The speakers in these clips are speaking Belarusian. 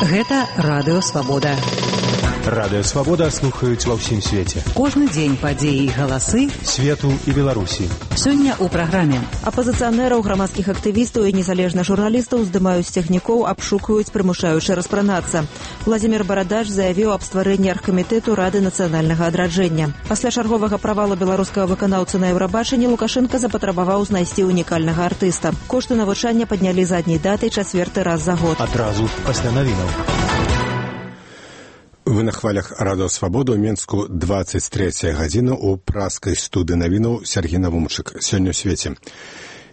Гэта Радыё Свабода. Радыё Свабода слухаюць ва ўсім свеце. Кожны дзень падзеі і галасы свету і Беларусі. Сёння ў праграме. Апазіцыянераў, грамадскіх актывістаў і незалежных журналістаў здымаюць цягнікоў, абшукваюць, прымушаючы распранацца. Владзімір Барадач заявіў аб стварэнні аргкамітэту Рады нацыянальнага адраджэння. Пасля чарговага правалу беларускага выканаўцы на Еўрабачанні Лукашенка запатрабаваў знайсці унікальнага артыста. Кошты навучання паднялі задняй датай 4-й раз за год. Адразу пасля навінаў. Вы на хвалях Радыё Свабода ў Менску 23 гадзіна ў праскай студыі навінаў Сергей Навумчык. Сёння ў свеце.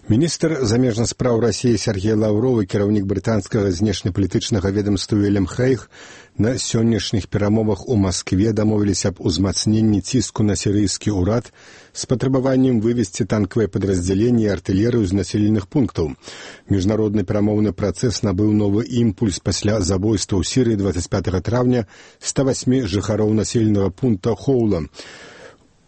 Міністр замежных спраў Расіі Сергей Лаўров і кіраўнік брытанскага знешнепалітычнага ведамства Вільям Хейг на сённяшніх перамовах у Маскве дамовіліся аб узмацненні ціску на сірыйскі ўрад з патрабаваннем вывесці танкавыя падраздзяленні і артылерыю з населеных пунктаў. Міжнародны перамоўны працэс набыў новы імпульс пасля забойства ў Сірыі 25 траўня 108 жыхароў населенага пункта Хоула,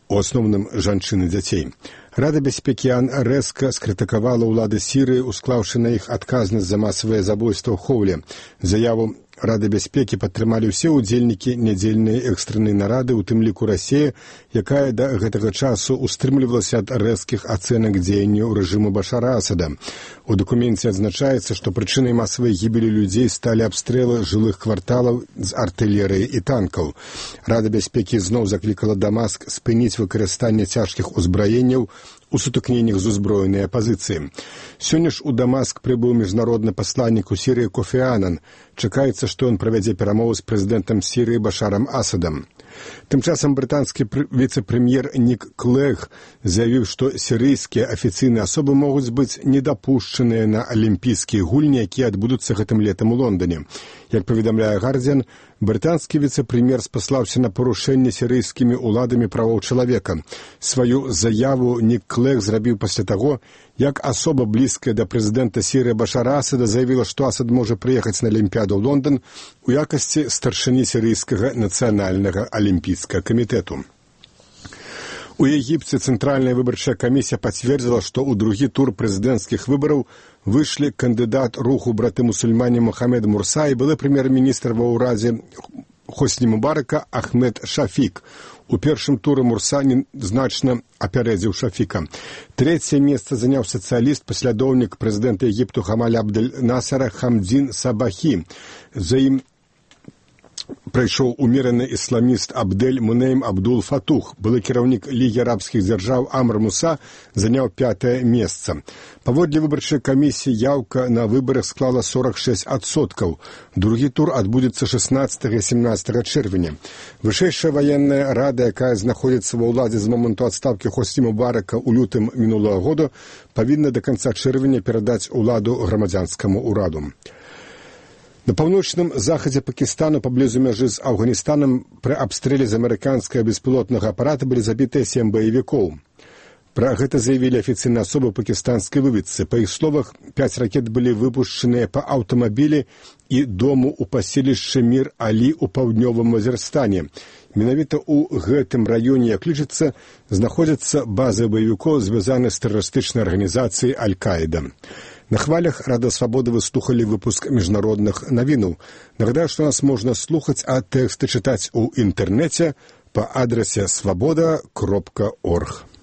у асноўным жанчын і дзяцей. Рада бяспекі АН рэзка скрытыкавала ўлады Сірыі, усклаўшы на іх адказнасць за масавае забойства ў Хоуле. Заяву Рады бяспекі падтрымалі ўсе ўдзельнікі нядзельнай экстрэннай нарады, у тым ліку Расія, якая да гэтага часу устрымлівалася ад рэзкіх ацэнак дзеянняў рэжыму Башара Асада. У дакуменце адзначаецца, што прычынай масавай гібелі людзей сталі абстрэлы жылых кварталаў з артылерыі і танкаў. Рада бяспекі зноў заклікала Дамаск спыніць выкарыстанне цяжкіх узбраенняў у сутыкненнях з узброенай апазіцыі. Сёння ж у Дамаск прыбыў міжнародны пасланнік у Сірыі Кофі Анан. Чакаецца, што ён правядзе перамовы з прэзідэнтам Сірыі Башарам Асадам. Тым часам брытанскі віцэ-прэм'ер Нік Клэг заявіў, што сірыйскія афіцыйныя асобы могуць быць недапушчаныя на алімпійскія гульні, якія адбудуцца гэтым летам у Лондоне. Як паведамляе Гардзіан, брытанскі віцэ-прэм'ер спаслаўся на парушэнне сірыйскімі ўладамі правоў чалавека. Сваю заяву Нік Клэг зрабіў пасля таго, як асоба блізкая да прэзідэнта Сірыі Башара Асада заявіла, што Асад можа прыехаць на Алімпіяду ў Лондон у якасці старшыні сірыйскага нацыянальнага алімпійскага камітэту. У Егіпце Цэнтральная выбарчая камісія пацвердзіла, што ў другі тур прэзідэнцкіх выбараў выйшлі кандыдат руху браты-мусульмане Мохамед Мурса і былы прэм'ер-міністр ва ўрадзе Хосні Мубарака Ахмед Шафік. У першым туры Мурса значна апярэдзіў Шафіка. Трэцяе месца заняў сацыяліст, паслядоўнік прэзідэнта Егіпту Хамаля Абдель-Насара Хамдзін Сабахі. За ім прайшоў умераны ісламіст Абдель Мунейм Абдул Фатух. Былы кіраўнік Лігі арабскіх дзяржаў Амр Муса заняў 5-е месца. Паводле выбарчай камісіі яўка на выбарах склала 46%. Другі тур адбудзецца 16 і 17 чэрвеня. Вышэйшая ваенная рада, якая знаходзіцца ва ўладзе з моманту адстаўкі Хосні Мубарака ў лютым мінулага года, павінна да канца чэрвеня перадаць уладу грамадзянскаму ўраду. На паўночным захадзе Пакістану паблізу мяжы з Афганістанам пры абстрэле з амерыканскага беспілотнага апарата былі забітыя 7 баевікоў. Пра гэта заявілі афіцыйныя асобы пакістанскай выведцы. Па іх словах, 5 ракет былі выпушчаныя па аўтамабілі і дому ў паселішчы Мір-Алі ў паўднёвым Вазірстане. Менавіта ў гэтым раёне, як лічыцца, знаходзяцца базы баевікоў, звязаныя з тэрарыстычнай арганізацыяй Аль-Каіда. На хвалях Рада Свабоды вы слухалі выпуск міжнародных навінаў. Нагадаю, што нас можна слухаць, а тэксты чытаць у інтэрнэце па адрасе swaboda.org.